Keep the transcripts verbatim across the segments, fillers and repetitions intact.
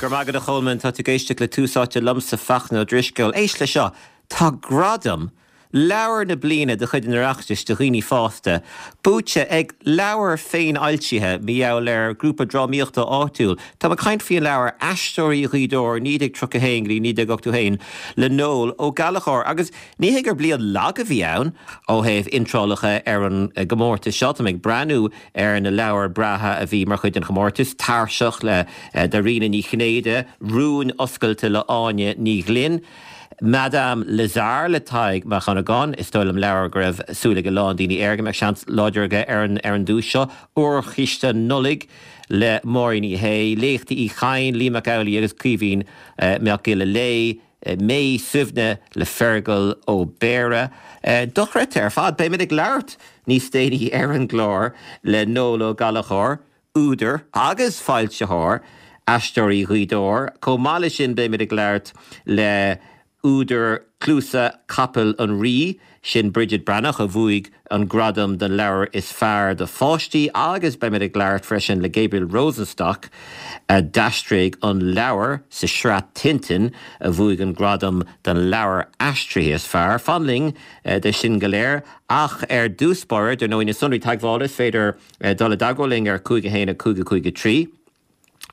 Go raibh maith agat a Cholmáin tá tú ag éisteacht le Tús Áite liomsa Fachtna Ó Drisceoil. Éist le seo Tá gradam leabhar na bliana de chuid an Oireachtais do dhaoine fásta, buaite ag leabhar féinfhoilsithe mar gheall ar grúpa drámaíochta áitiúil. Tá mé ag caint faoin leabhar Aisteoirí Ghaoth Dobhair naoi déag tríocha haon go dtí naoi déag ochtó haon le Noel Ó Gallchóir. Agus ní hé gur bliain lag a bhí ann ó thaobh iontrálacha ar an gcomórtas seo Tá mé ag breathnú ar na leabhair breátha a bhí mar chuid den chomórtas, Tairseach le Dairena Ní Chinnéide, Rúin Oscailte le Áine Ní Ghlinn. Madame Lazare le Tadhg Mac Dhonnagáin is dóigh liom leabhar go raibh súil ag a lán daoine air go mbeadh seans láidir aige ar an ar an duais seo Órchiste Nollag le Máirín Ní Shé, Léachtaí Uí Chadhain, Liam Mac Amhlaigh agus Caoimhín Mac Giolla Léith, Mé Suibhne le Feargal Ó Béarra. Dochreidte ar fad beimid ag labhairt níos déanaí ar an gclár le Noel Ó Gallchóir, údar agus foilsitheoir Aisteoirí Ghaoth Dobhair. Chomh maith leis sin beimid ag labhairt le údar Cluasa Capaill an Rí sin Bridget Breathnach a bhuaigh an gradam don leabhar is fearr do pháistí agus beimid ag labhairt freisin le Gabriel Rosenstock a d'aistrigh an leabhar sa sraith Tintin a bhuaigh an gradam don leabhar aistrithe is fearr. Fan linn de sin go léir ach ar dtús báire dar ndóigh na sonraí teagmhála is féidir dul i dteagmháil linn ar cúig a haon a cúig a cúig a trí.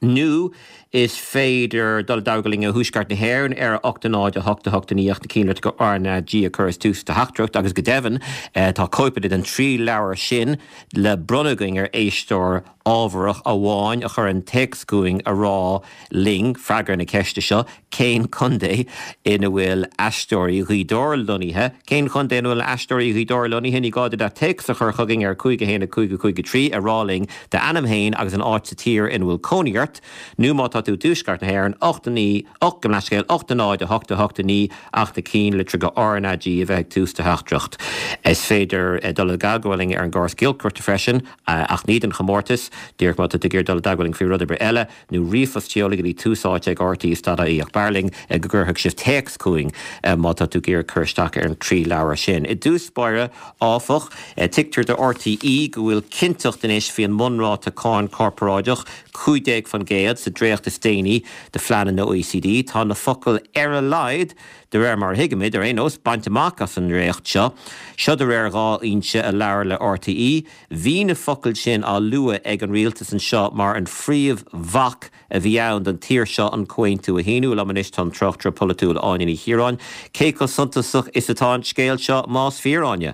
Nó is féidir dul i dteagmháil linn i dTuaisceart na hÉireann ar a ocht a náid a hocht a hocht a naoi ach na cinnlitreacha R na G a chur is tús do theachtaireacht agus go deimhin tá cóipeanna den trí leabhar sin le bronnadh againn ar éisteoir ábharach amháin a chuireann téacs chugainn a rá linn freagra na ceiste seo cén contae ina bhfuil Aisteoirí Ghaoth Dobhair lonnaithe, cén chontae ina bhfuil Aisteoirí Ghaoth Dobhair lonnaithe ní gá duit ach téacs a chur chugainn ar cúig a haon a cúig a cúig a trí a rá linn d'ainm féin agus an áit sa tír ina bhfuil cónaí ort, nó má tá tú i dTuaisceart na hÉireann ocht a naoi ocht gabh mo leithscéal ocht a náid a hocht a hocht a naoi ach na cinnlitreacha R na G a bheith ag tús do theachtaireacht. Is féidir dul i dteagmháil linn ar an gcóras giolcaireachta freisin ach ní don chomórtas, díreach má tá tú ag iarraidh dul i dteagmháil linn faoi rud ar bith eile, nó ríomhphost a sheoladh go dtí tús áite ag RTÉ dot ie ach b'fhearr linn go gcuirfeadh sibh téacs chugainn má tá tú ag iarraidh cur isteach ar an trí leabhar sin. I dtús báire áfach, tuigtear do RTÉ go bhfuil cinnteacht anois faoi an mbunráta cáin corparáideach cúig déag faoin gcéad sa dréacht is déanaí de phlean an OECD. Tá na focail ar a laghad de réir mar a thuigimid ar aon nós bainte amach as an dréacht seo. Seo de réir dhá fhoinse a labhair le RTÉ. Bhí na focail sin á lua ag an rialtas anseo mar an phríomhbhac a bhí ann don tír seo an comhaontú a shíniú liom anois tá an tráchtaire polaitiúil Áine Ní Chiaráin. Cé chomh suntasach is atá an scéal seo más fíor Áine?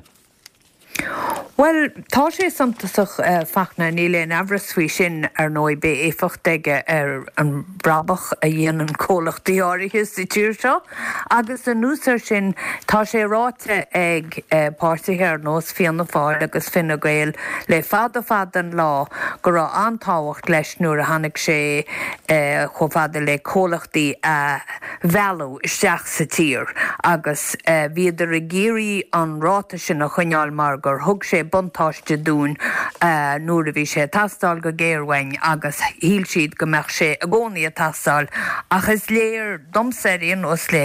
Well, tá sé suntasach uh, Fachtna níl aon amhras faoi sin ar ndóigh beidh éifeacht aige ar an brabach a dhéanann comhlachtaí áirithe sa tír seo. Agus anuas air sin tá sé ráite ag uh, páirtithe ar nós Fianna Fáil agus Fine Gael le fada fada an lá go raibh an-tábhacht leis nuair a tháinig sé uh, chomh fada le comhlachtaí a mhealladh isteach sa tír agus uh, bhíodar ag iarraidh an ráta sin a choinneáil mar gur thug sé buntáiste dúinn uh, nuair a bhí sé ag teastáil go géar uainn agus shíl siad go mbeadh sé i gcónaí ag teastáil ach is léir domsa ar aon nós le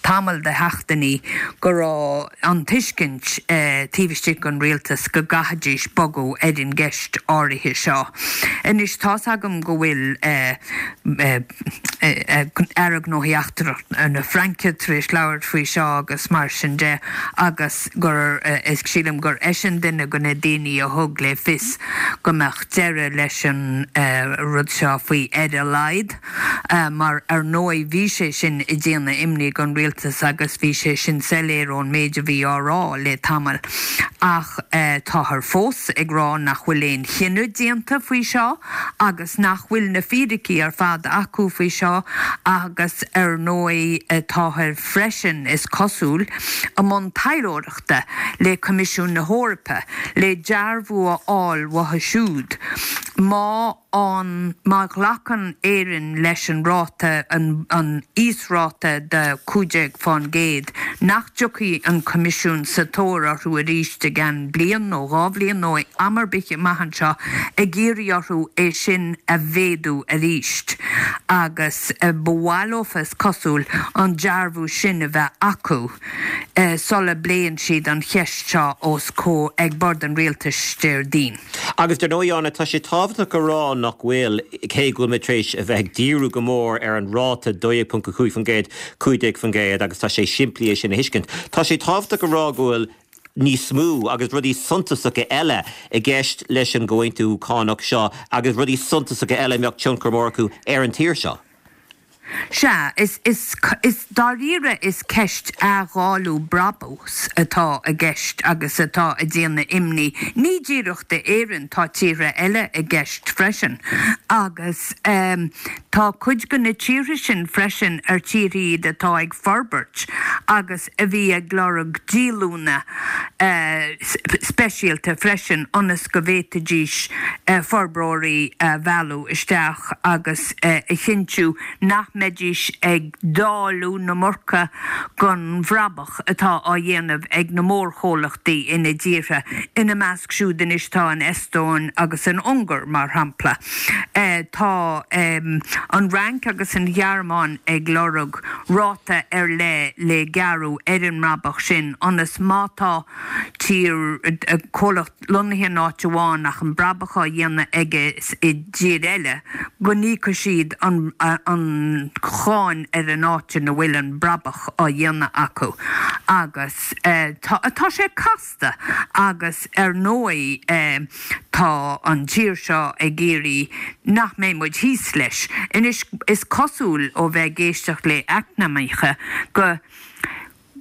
tamall de sheachtainí go raibh an tuiscint uh, taobh istigh den rialtas go gcaithfidís bogadh ar an gceist áirithe seo. Anois tá agam go bhfuil uh, uh, Aire Gnóthaí Eachtracha na Fraince tar éis labhairt faoi seo agus mar sin de agus gur is sílim gur eisean duine de na daoine a thug le fios go mbeadh deireadh leis an rud seo faoi ar a laghad mar ar ndóigh bhí sé sin ag déanamh imní don rialtas agus bhí sé sin soiléir ón méid a bhí á rá le tamall ach táthar fós ag rá nach bhfuil aon chinneadh déanta faoi seo agus nach bhfuil na fíricí ar fad acu faoi seo agus ar ndóigh táthar freisin is cosúil i mbun taidhleoireachta le Coimisiún na hEorpa le dearbhú a fháil uathu siúd. Má an má ghlacann Éirinn leis an ráta an, an íosráta de cúig déag faoin gcéad, nach dtiocfaidh an Coimisiún sa tóir orthu arís i gceann bliain nó dhá bhliain nó am ar bith amach anseo ag iarraidh orthu é sin a mhéadú arís. agus ba mhaith leofa is cosúil an dearbhú sin a bheith acu sula bpléann siad an cheist seo os comhair ag bord an rialtais Déardaoin. Agus dar ndóigh, Áine, tá sé tábhachtach a rá nach bhfuil, cé go bhfuil muid tar éis a bheith ag díriú go mór ar an ráta dó dhéag ponc a cúig faoin gcéad, cúig déag faoin gcéad, agus tá sé simplí é sin a thuiscint. Tá sé tábhachtach a rá go bhfuil níos mó agus rudaí suntasacha eile i gceist leis an gcomhaontú cánach seo agus rudaí suntasacha eile a mbeadh tionchar mór acu ar an tír seo. Sea, is, is, is dáiríre is ceist athdháileadh brabús atá i gceist agus atá ag déanamh imní. Ní díreach d'Éirinn, tá tíortha eile i gceist freisin. Agus tá cuid de na tíortha sin freisin ar tíortha iad atá ag forbairt agus a bhí ag lorg díolúine speisialta freisin ionas go bhféadfaidís forbróirí a mhealladh isteach agus a chinntiú nach mbeidís ag dáileadh na marca den bhrabach atá á dhéanamh ag na mórchomhlachtaí ina dtíortha. Ina measc siúd anois tá an Eastóin agus an Ungáir, mar shampla. Tá an Fhrainc agus an Ghearmáin ag lorg ráta ar leith le gearradh ar an mbrabach sin ionas má tá tír, comhlacht lonnaithe in áit amháin ach an brabach á dhéanamh aige i dtír eile, go n-íocfaidh siad an an cháin ar an áit ina bhfuil an brabach á dhéanamh acu. Agus tá tá sé casta agus ar ndóigh tá an tír seo ag iarraidh nach mbeidh muid thíos leis. Anois is cosúil ó bheith ag éisteacht le eacnamaithe go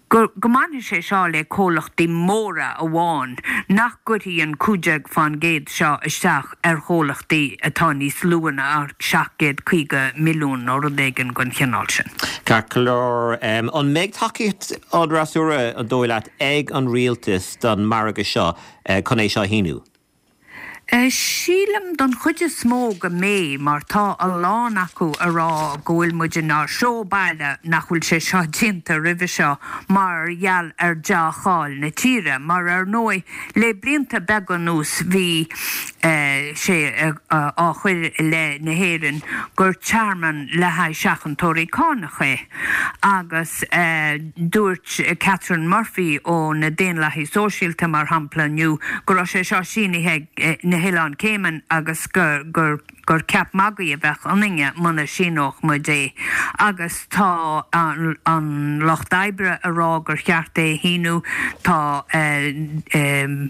go mbainfidh sé seo le comhlachtaí móra amháin, nach gcuirfidh an cúig déag fán gcéad seo isteach ar chomhlachtaí atá níos lú ná seacht gcéad caoga milliún nó rud éigin den chineál sin. Ceart go leor. An mbeidh tacaíocht an fhreasúra, an dóigh leat, ag an rialtas don margadh seo chun é seo a shíniú? Sílim don chuid is mó go mbeidh, mar tá a lán acu a rá go bhfuil muid inár seó baile nach bhfuil sé seo déanta roimhe seo mar gheall ar dea-cháil na tíre, mar ar ndóigh le blianta beaga anuas bhí sé á chur i leith na hÉireann gur tearmann le haghaidh seachantóirí cánach é agus dúirt Catherine Murphy ó na Daonlathaigh Sóisialta mar shampla inniu go raibh sé seo sínithe ag na hOileáin Cayman agus gur gur gur ceap magaidh a bheadh ionainne muna síneodh muid é. Agus tá an an Lucht Oibre a rá gur cheart é a shíniú, tá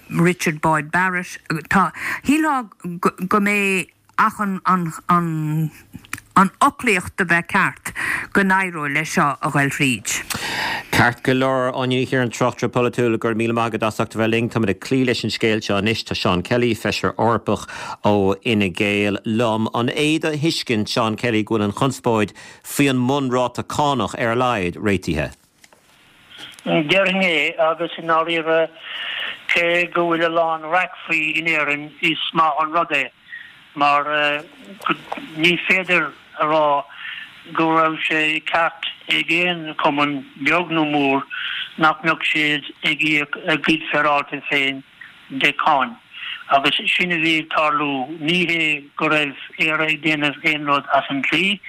Richard Boyd Barrett, tá, shílfeá go mbeidh ach an an an an fhoclaíocht a bheith ceart go n-éireoidh leis seo a ghoil thríd. Ceart go leor, Áine Ní Chiaráin, tráchtaire polaitiúil, go raibh míle maith agat as ucht a bheith linn. Táimid ag cloí leis an scéal seo anois. Tá Seán Kelly, Feisire Eorpach ó Fhine Gael, liom. An é do thuiscint, Seán Kelly, go bhfuil an chonspóid faoi an mbunráta cánach, ar a laghad, réitithe? Déarfainn é, agus i ndáiríre, cé go bhfuil a lán raic faoi in Éirinn, is maith an rud é. mar ní féidir a rá go raibh sé ceart ag aon chumann, beag nó mór, nach mbeadh siad ag íoc a gcuid féaráilte féin de cháin. Agus sin a bhí ag tarlú. Ní hé go raibh Éire ag déanamh aon rud as an dlí,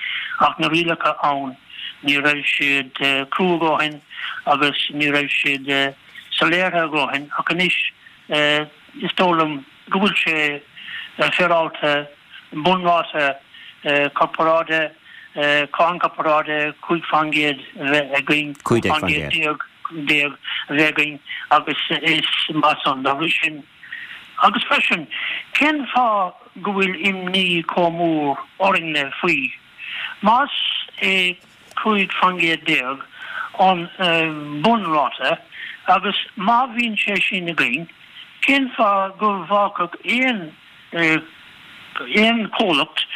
ach na rialacha ann, ní raibh siad crua a dhóthain agus ní raibh siad soiléir a dhóthain. Ach anois, is dóigh liom, go bhfuil sé féaráilte bunráta corparáide, cáin corparáide cúig faoin gcéad a bheith againn, cúig faoin gcéad déag a bheith againn agus is maith san. Dá bhrí sin, agus freisin, cén fáth go bhfuil imní chomh mór orainne faoi? Más é cúig faoin gcéad déag an bunráta agus má bhíonn sé sin againn, Cén fáth go bhfágfadh aon aon chomhlacht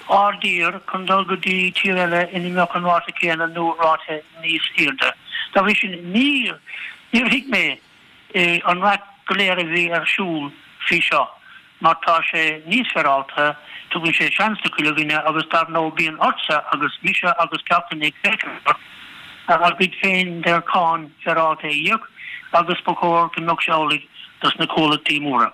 ár dtír chun dul go dtí tír eile ina mbeadh an ráta céanna nó ráta níos airde? Dá bhrí sin, níor níor thuig mé an raic go léir a bhí ar siúl faoi seo mar tá sé níos féaráilte, tugann sé seans do chuile dhuine agus dar ndóigh bíonn ortsa agus mise agus gach duine ag féachaint ort ár gcuid féin de cháin féaráilte a íoc agus ba chóir go mbeadh sé amhlaidh dos na comhlachtaí móra.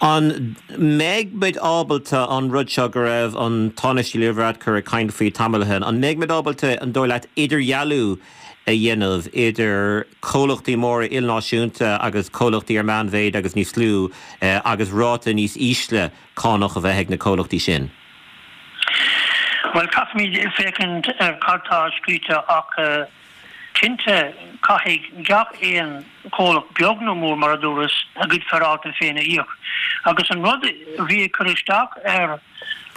An mbeidh muid ábalta an rud seo go raibh an Tánaiste Leo Varadkar ag caint faoi tamall ó shin, an mbeidh muid ábalta an dóigh leat idirdhealú a dhéanamh idir comhlachtaí móra ilnáisiúnta agus comhlachtaí ar meánmhéid agus níos lú agus ráta níos ísle cánach a bheith ag na comhlachtaí sin? Bhuel, caithfimid féachaint ar cad tá scríte ach cinnte caithfidh gach aon chomhlacht, beag nó mór mar a dúras, a gcuid féaráilte féin a íoc. Agus an rud a bhí ag cur isteach ar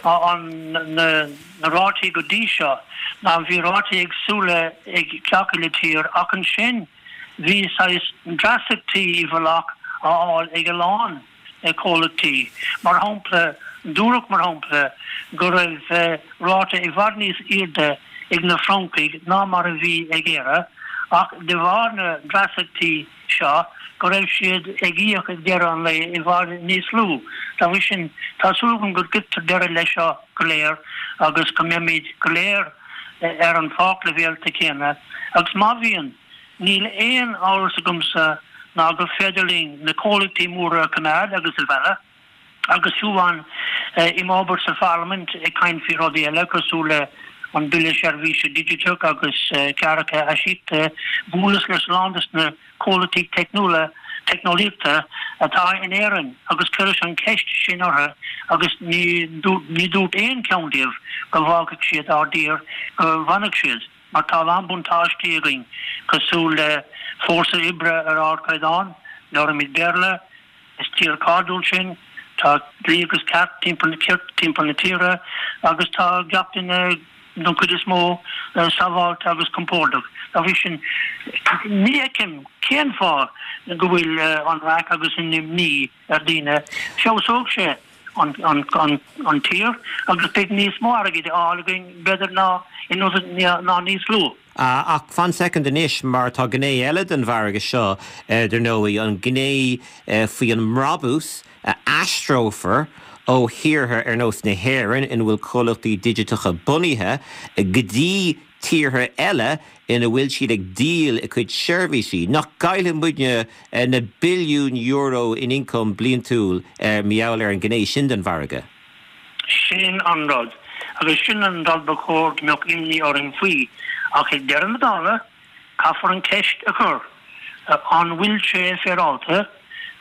an na rátaí go dtí seo ná bhí rátaí éagsúla ag gach uile tír ach ansin bhí saghas dreasachtaí i bhfolach á fháil ag a lán comhlachtaí. Mar shampla, dúradh mar shampla go raibh ráta i bhfad níos airde ag na Francaigh ná mar a bhí ag Éire ach de bharr na ndreasachtaí seo go raibh siad ag íoc ag deireadh an lae i bhfad níos lú. Dá bhrí sin, tá súil agam go gcuirtear deireadh leis seo go léir agus go mbeimid go léir ar an pháircleibhéalta céanna agus má bhíonn, níl aon amhras agamsa ná gur féidir linn na comhlachtaí móra a choimeád agus a mhealladh. Agus fiú amháin i m'obair sa Pharlaimint ag caint faoi rudaí eile cosúil le an Bille Seirbhíse Digiteach agus cláracha aisíochta, bhuaileas le a lán de na comhlachtaí teicniúla, teicneolaíochta atá in Éirinn agus chuireas an cheist sin orthu agus ní ní dúirt aon cheann díobh go bhfágfadh siad ár dtír, go bhfanfadh siad mar tá a lán buntáistí againn cosúil le fórsa oibre ar ardchaighdeán, labhraímid Béarla, Is tír cairdiúil sinn, tá dlí agus ceart timpeall timpeall na tíre agus tá gach duine, don chuid is mó, sábháilte agus compordach. Dá bhrí sin, ní fheicim cén fáth go bhfuil an raic agus an imní ar daoine. Feabhsóidh sé an an an tír agus beidh níos mó airgid á fháil againn, b'fhéidir, ná ná níos lú. Ach fan soicind anois, mar tá gné eile den mhargadh seo, dar ndóigh, an ghné faoi an mbrabús a aistreofar ó thíortha ar nós na hÉireann, ina bhfuil comhlachtaí digiteacha bunaithe, go dtí tíortha eile ina bhfuil siad ag díol a gcuid seirbhísí. Nach gcaillfidh muidne na billiúin euro in ioncam bliantúil mar gheall ar an ghné sin den mhargadh? Sin an rud. Agus sin an rud ba chóir go mbeadh imní orainn faoi. Ach ag deireadh na dála, caithfear an cheist a chur, an bhfuil sé féaráilte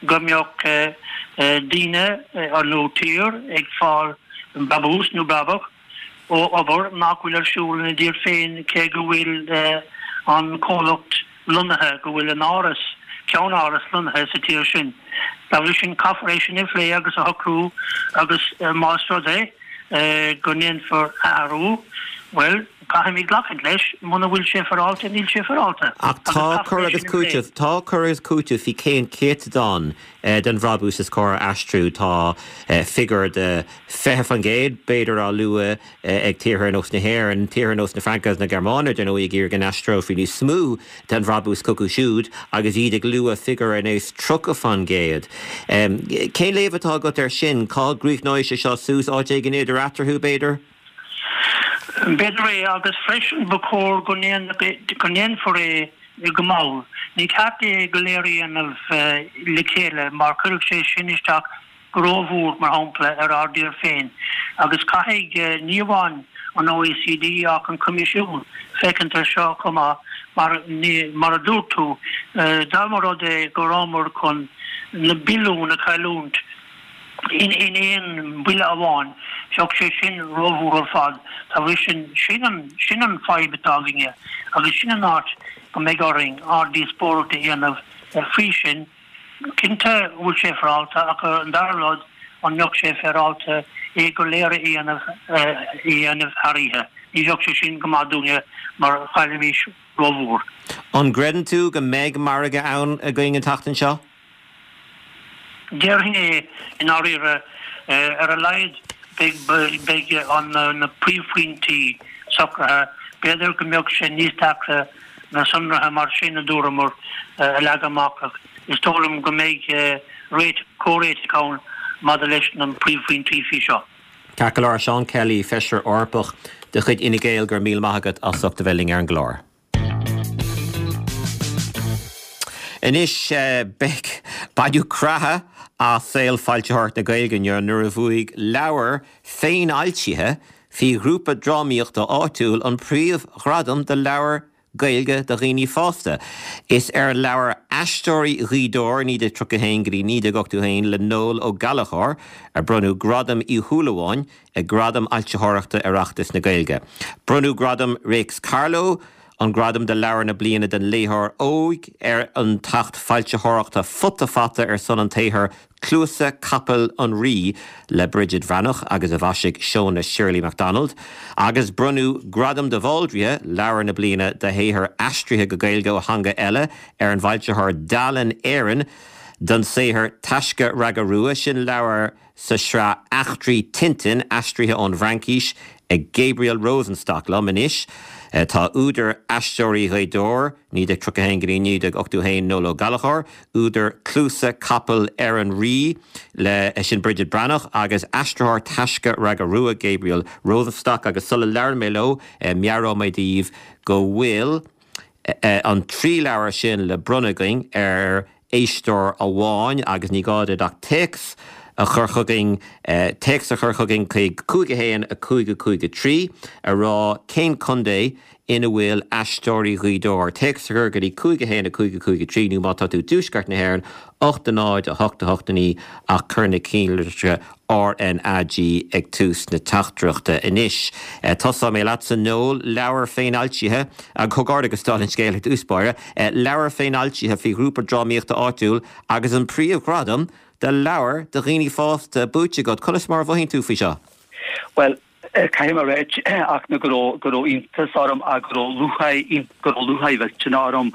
go mbeadh daoine nó tír ag fáil brabús nó brabach ó obair nach bhfuil ar siúl ina dtír féin cé go bhfuil an comhlacht lonnaithe, go bhfuil an áras, ceann-áras lonnaithe sa tír sin. Dá bhrí sin, caithfear é sin a phlé agus a shocrú agus más rud é go ndéanfar athrú, bhuel, caithfimid glacadh leis, muna bhfuil sé féaráilte, níl sé féaráilte. Ach tá cur agus cúiteamh, tá cur agus cúiteamh faoi cén céatadán den bhrabús is cóir a aistriú. Tá figiúr de fiche faoin gcéad, b'fhéidir, á lua ag tíortha ar nós na hÉireann, tíortha ar nós na Fraince agus na Gearmáine, dar ndóigh, ag iarraidh go n-aistreofaí níos mó den bhrabús chucu siúd agus iad ag lua figiúr ar nós tríocha faoin gcéad. Cén léamh atá agat air sin? Cá gcríochnóidh sé seo suas? Áit éigin idir eatarthu, b'fhéidir? B'fhéidir é, agus freisin ba chóir go ndéanfar é go mall. Ní ceart é go léir a dhéanamh le chéile mar chuirfeadh sé sin isteach go rómhór, mar shampla, ar ár dtír féin. Agus caithfidh ní amháin an OECD ach an Coimisiún féachaint air seo chomh maith mar, mar a dúirt tú, dá mba rud é go rabhamar chun na billiúin a chailliúint, in aon bhuille amháin, bheadh sé sin rómhór ar fad. Dá bhrí sin, sin an, sin an fadhb atá againne agus sin an áit go mbeidh orainn ár díospóireacht a dhéanamh faoi sin. Cinnte go bhfuil sé féaráilte ach an dara rud, an mbeadh sé féaráilte é go léir a dhéanamh, a dhéanamh thar oíche? Ní bheadh sé sin go maith dúinne mar chaillfimis rómhór. An gcreideann tú go mbeidh margadh ann againn an tseachtain seo? Déarfainn é i ndáiríre. Ar a laghad beidh na príomhphointí socraithe. B'fhéidir go mbeadh sé níos deacra na sonraithe mar sin, a dúramar, a leagan amach ach is dóigh liom go mbeidh réiteach, comhréiteach ann maidir leis na príomhphointí faoi seo. Ceart go leor, Seán Kelly, Feisire Eorpach de chuid Fhine Gael, go raibh míle maith agat as ucht a bheith linn ar an gclár. Anois, beidh, baineadh creathadh as saol foilsitheoireacht na Gaeilge inniu nuair a bhuaigh leabhar féinfhoilsithe faoi ghrúpa drámaíochta áitiúil an príomhghradam do leabhar Gaeilge do dhaoine fásta. Is ar an leabhar Aisteoirí Ghaoth Dobhair naoi déag tríocha a haon go dtí naoi déag ochtó a haon le Noel Ó Gallchóir a bronnadh Gradam Uí Shúilleabháin ag Gradaim Fhoilsitheoireachta Oireachtas na Gaeilge. Bronnadh Gradam Réics Carló, an gradam do leabhar na bliana don léitheoir óg ar an tacht foilsitheoireachta Futa Fata ar son an tsaothair Cluasa Capaill an Rí le Bridget Bhreathnach agus a mhaisigh Shona Shirley MacDonald, agus bronnadh Gradam de Bhaldraithe, Leabhar na Bliana do shaothar aistrithe go Gaeilge ó theanga eile ar an bhfoilsitheoir Dalen Éireann don saothar Taisce Raga Rua, sin leabhar sa sraith Eachtraí Tintin, aistrithe ón bhFraincis ag Gabriel Rosenstock. Liom anois tá údar Aisteoirí Ghaoth Dobhair, naoi déag tríocha a haon go dtí naoi déag ochtó a haon, Noel Ó Gallchóir, údar Cluasa Capaill ar an Rí le sin Bridget Breathnach agus aistritheoir Taisce Raga Rua, Gabriel Rosenstock agus sula labhrann mé leo, meabhróidh mé daoibh go bhfuil an trí leabhar sin le bronnadh againn ar éisteoir amháin agus ní gá duit ach téacs a chur chugainn, téacs a chur chugainn chuig cúig a haon a cúig a cúig a trí a rá cén contae ina bhfuil Aisteoirí Ghaoth Dobhair. Téacs a chur go dtí cúig a haon a cúig a cúig a trí nó má tá tú i dtuaisceart na hÉireann, ocht a náid a hocht a hocht a naoi ach cuir na cinnlitreacha RnaG ag tús na teachtaireachta. Anois, tosóidh mé leatsa Noel, leabhar féinfhoilsithe, comhghairdeachas dála an scéil ar dtús báire, leabhar féinfhoilsithe faoi ghrúpa drámaíochta áitiúil agus an príomhghradam do leabhar do dhaoine fásta buaite agat. Conas mar a mhothaíonn tú faoi seo? Bhuel, caithfidh mé a ráit ach na go raibh go raibh iontas orm ach go raibh lúcháir go raibh lúcháir mhillteanach orm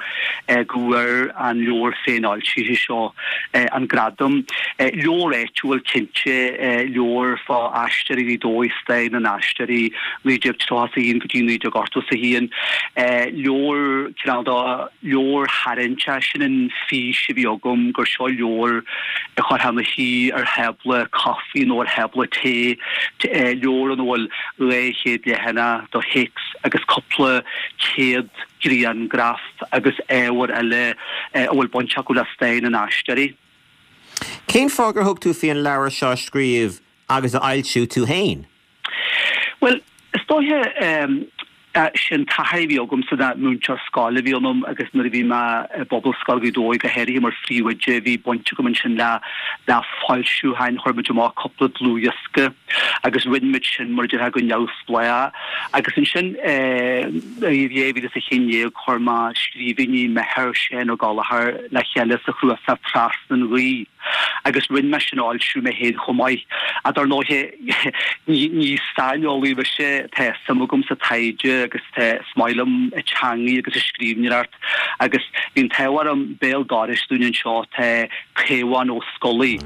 go bhfuair an leabhar féinfhoilsithe seo an gradam. Leabhar áitiúil cinnte, leabhar fá Aisteoirí Ghaoth Dobhair, stair na n-aisteoirí naoi déag tríocha a haon go dtí naoi déag ochtó a haon. Leabhar cineál de leabhar tharraingteach, sin an fís a bhí agam gur seo leabhar a chuirfeá ina shuí ar thábla caife nó ar thábla tae, leabhar ina bhfuil dhá chéad leathanach de théacs agus cúpla céad grianghraf agus ábhar eile a bhfuil baint acu le stair na n-aisteoirí. Cén fáth gur thug tú faoi an leabhar seo a scríobh agus a fhoilsiú tú féin? Bhuel, is dóiche sin taithí a bhí agamsa ná múinteoir scoile a bhí ionam agus nuair a bhí mé i bPobalscoil Ghaoth Dobhair go háirithe mar phríomhoide bhí baint agam ansin le le foilsiúcháin, chuir muid amach cúpla dlúthdhiosca agus rinne muid sin mar a déarfá go neamhspleách agus ansin i dhá mhíle is a haon déag chuir mé scríbhinní m'athar Seán Ó Gallchóir le chéile sa chnuasach Trasna an Ghaoth agus rinne mé sin a fhoilsiú mé féin chomh maith. Ach dar ndóighe ní ní saineolaí mise, tá suim agam sa taighde agus tá is maith liom an teangaidh agus an scríbhneoireacht agus bhí an t-ádh orm béal dorais dúinn anseo tá Caomhán Ó Scolaí,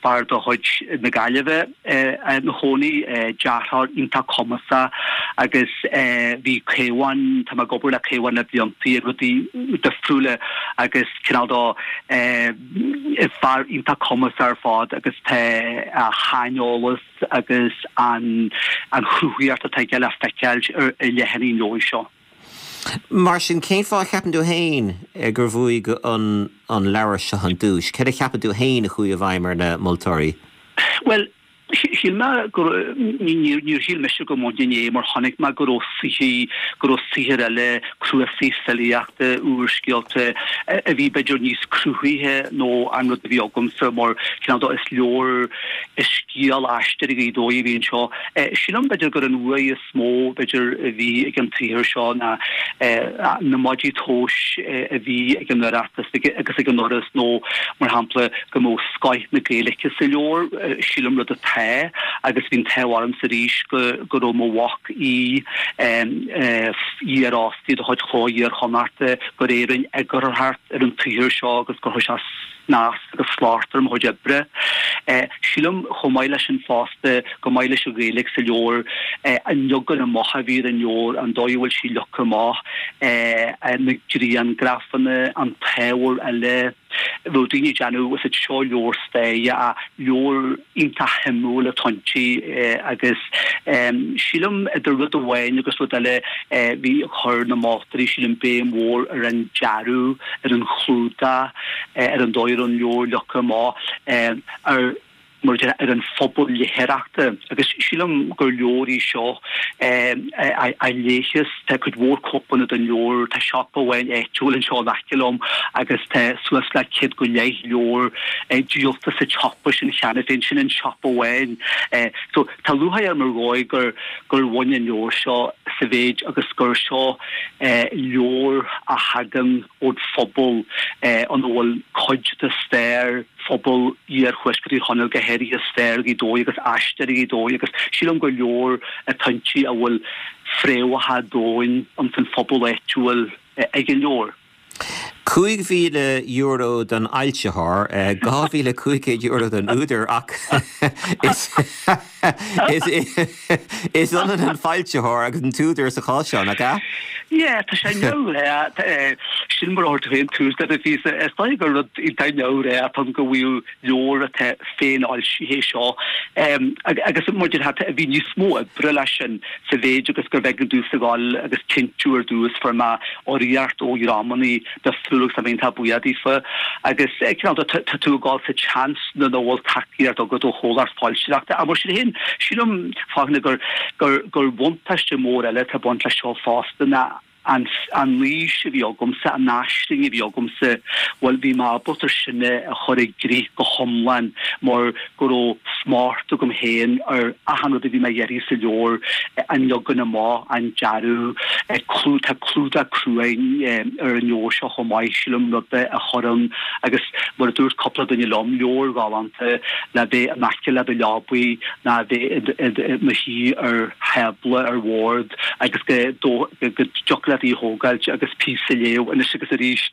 fear de chuid na Gaillimhe ina chónaí, dearthóir iontach cumasach agus bhí Caomhán, tá mé ag obair le Caomhán le bliantaí ar rudaí difriúla agus cineál de fear iontach cumasach ar fad agus tá a shaineolas agus an an chruthaíocht atá aige le feiceáil ar leathanaigh an leabhair seo. Mar sin, cén fáth a cheapann tú féin gur bhuaigh an an leabhar seo an duais? Céard a cheapann tú féin a chuaigh i bhfeidhm ar na moltóirí? Bhuel, shíl mé go níor shíl mise go mbainfinn é mar chonaic mé go raibh saothair, go raibh saothair eile, cnuasaigh filíochta, úrscéalta a bhí b'fhéidir níos cruthaithe ná an rud a bhí agamsa mar cineál de is leabhar, is scéal Aisteoirí Ghaoth Dobhair a bhí anseo. Sílim b'fhéidir gur an bhuaidh is mó b'fhéidir a bhí ag an tsaothar seo ná na maidí tomhais a bhí ag an Oireachtas agus ag an Fhoras nó mar shampla go mbeadh scoith na Gaeilge sa leabhar, sílim rud atá agus bhí an t-ádh ormsa arís go go raibh mo mhac Aodh, iarfhostaí de chuid Chló Iar-Chonnachta, gur é a rinne eagarthóireacht ar an tsaothar seo agus gur chuir sé snas agus slacht ar mo chuid oibre. Sílim chomh maith leis sin fosta go maith leis an Ghaeilge sa leabhar, an leagan amach a bhí ar an leabhar, an dóigh a bhfuil sí leagtha amach, na grianghrafanna, an t-ábhar eile, Bheadh daoine ag déanamh is seo leabhar staire ach leabhar iontach shuimiúil atá inti agus sílim idir rud amháin agus rud eile bhí chuir na moltóirí sílim béim mhór ar an dearadh, ar an chlúdach, ar an dóigh a raibh an leabhar leagtha amach, ar mar a déarfá, ar an phobal léitheoireachta agus sílim gur leabhar í seo a léifeas, tá cuid mhór cóipeanna den leabhar, tá siopa amháin áitiúil anseo in aice liom agus tá suas le céad go leith leabhar díolta sa tsiopa sin cheana féin, sin an siopa amháin. So tá lúcháir orm ar dhóigh gur gur bhain an leabhar seo sa mhéid agus gur seo leabhar a thagann ón phobal ina bhfuil cuid de stair phobal iarthuaisceart Thír Chonaill, go háirithe stair Ghaoth Dobhair agus aistear Ghaoth Dobhair agus sílim gur leabhar atá inti a bhfuil fréamhacha domhain ins an phobal áitiúil ag an leabhar. Cúig mhíle euro don fhoilsitheoir, dhá mhíle cúig chéad euro don údar ach is is ionann an foilsitheoir agus an t-údar sa chás seo, nach ea? Yeah, tá sé neamhghnách. Sin mar a chuir tú féin tús leis an phíosa. Is dóigh gur rud iontach neamhghnách atá ann go bhfuil leabhar atá féinfhoilsithe seo. Agus mar a déarfá, bhí níos mó oibre leis sin sa mhéid agus gurbh éigean domhsa a ghabháil agus cinntiú ar dtús fuair mé urraíocht ó dhreamanna difriúla agus tá mé iontach buíoch daofa. Agus cineál de tá tú ag dul sa tseans nuair nach bhfuil tacaíocht agat ó chomhlacht foilsitheoireachta. Ach mar sin féin, sílim, Fachtna, gur gur gur bhuntáiste mór eile atá ag baint leis seo fosta ná an an fhís a bhí agamsa, an aisling a bhí agamsa, bhuel bhí mé ábalta sin a chur i gcrích go hiomlán mar go raibh smacht agam féin ar achan rud a bhí mé a iarraidh sa leabhar, an leagan amach, an dearadh, clú, tá clúdach cruaidh ar an leabhar seo chomh maith, sílim, rud a chuireann, agus mar a dúirt cúpla duine liom, leabhar galánta le bheith in aice le do leabaidh ná bheith i do shuí ar thábla, ar bhord agus go dtiocfadh leat í a thógáilt agus píosa a léamh anois agus arís.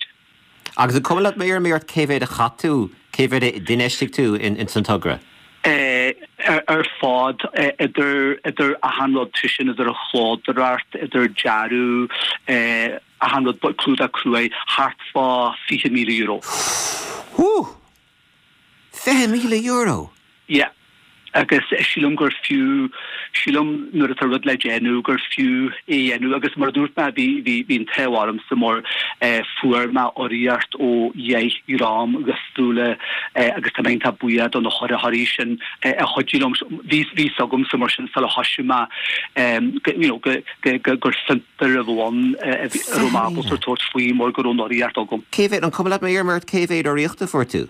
Agus an cuma leat má iarraim ort cé mhéad a chaith tú, cé mhéad a d'infheistigh tú ins an togra? Ar fad, idir idir achan rud, sé sin idir an chlódóireacht, idir dearadh, achan rud, clúdach cruaidh, thart fá fiche míle euro. Whú! Fiche míle euro! Yeah. Agus sílim gur fiú, sílim nuair atá rud le déanamh gur fiú é a dhéanamh agus mar a dúirt mé bhí, bhí, bhí an t-ádh ormsa mar fuair mé urraíocht ó dheich dhream dhifriúla agus tá mé iontach buíoch do na hurraitheoirí sin a chuidigh liom. Bhí, bhí 'fhios agamsa mar sin sula thoisigh mé go, you know, go, go, go, gur fiontar a bheadh ann a raibh mé ábalta tabhairt faoi mar go raibh an urraíocht agam. Cé mhéad, an cuma leat má iarraim ort cé mhéad urraíocht a fuair tú?